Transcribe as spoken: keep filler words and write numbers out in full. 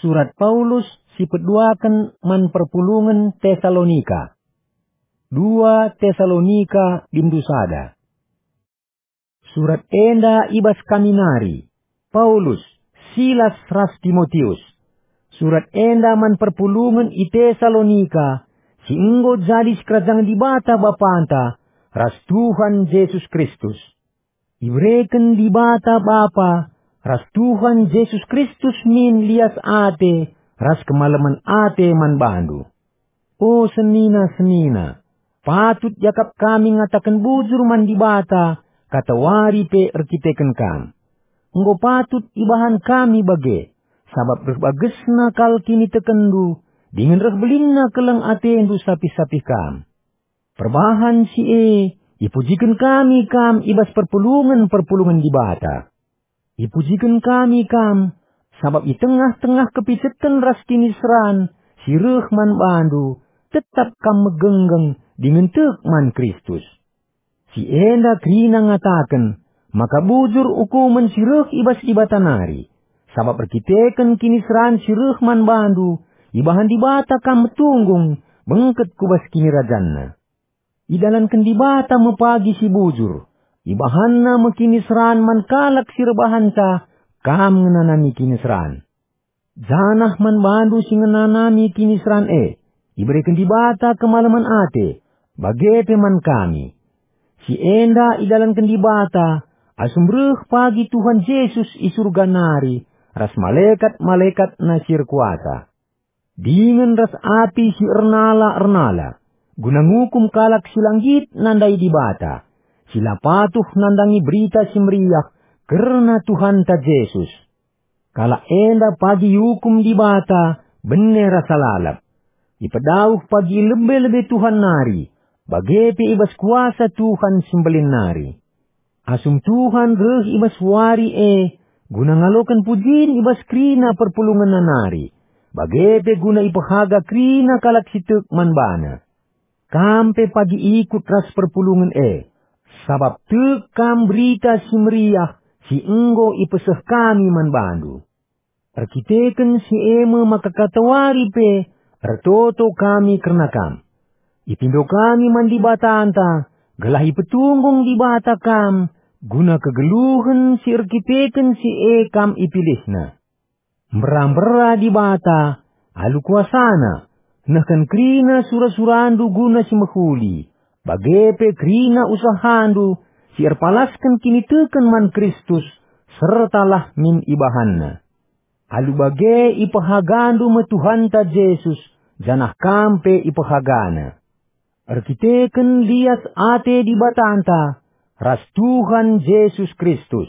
Surat Paulus si peduaken man perpulungen Tesalonika. Dua Tesalonika bindu sada. Surat enda i bas kami nari, Paulus, Silas ras Timotius. Surat enda man perpulungen i Tesalonika, si enggo jadi sikerajangen Dibata Bapanta ras Tuhan Jesus Kristus. Ibereken Dibata Bapa ras Tuhan Jesus Kristus min lias ate ras kemalemen ate man bandu. O senina-senina, patut iakap kami ngataken bujur man Dibata katawari pe erkiteken kam. Enggo patut ibahan kami bage, sabap reh bagesna kal kinitekenndu, dingen reh belinna keleng atendu sapih-sapih kam. Perbahan si e, ipujiken kami kam i bas perpulungen-perpulungen Dibata. Ipujiken kami kam, sabap i tengah-tengah kepiceten ras kiniseran si reh man bandu, tetap kam megenggeng dingen tek man Kristus. Si enda kerina ngataken maka bujur ukumen si reh i bas Dibata nari, sabap erkiteken kiniseran si reh man bandu, ibahan Dibata kam metunggung bengket ku bas KinirajanNa. Idalanken Dibata me pagi si bujur, ibahanNa me kiniseran man kalak si erbahanca kam ngenanami kiniseran. Janah man bandu si ngenanami kiniseran e, ibereken Dibata kemalemen ate, bage pe man kami. Si enda idalanken Dibata, asum reh pagi Tuhan Jesus i Surga nari ras malekat-malekatNa si erkuasa. Dingen ras api si ernala-ernala, guna ngukum kalak si la nggit nandai Dibata, si la patuh nandangi Berita Si Meriah kerna Tuhanta Jesus. Kalak enda pagi iukum Dibata bene rasa lalap. Ipedauh pagi i lebe-lebe Tuhan nari, bage pe i bas kuasa Tuhan si Mbelin nari. Asum Tuhan reh i bas wari e guna ngaloken pujin i bas kerina perpulungenNa nari, bage pe guna ipehaga kerina kalak si tek man baNa. Kam pe pagi ikut ras perpulungen e, sabap tek kam Berita Si Meriah si enggo ipeseh kami man bandu. Erkiteken si e me maka katawari pe ertoto kami kerna kam. Ipindo kami man Dibatanta, gelah ipetunggung Dibata kam guna kegeluhen si erkiteken si e kam ipilihNa. Mbera-mbera Dibata alu kuasaNa, nehken kerina sura-surandu guna si mehuli, bage pe kerina usahandu si erpalasken kiniteken man Kristus, sertalah min ibahanNa. Alu bage ipehagandu me Tuhanta Jesus, janah kam pe ipehagaNa. Erkiteken lias ate Dibatanta ras Tuhan Jesus Kristus,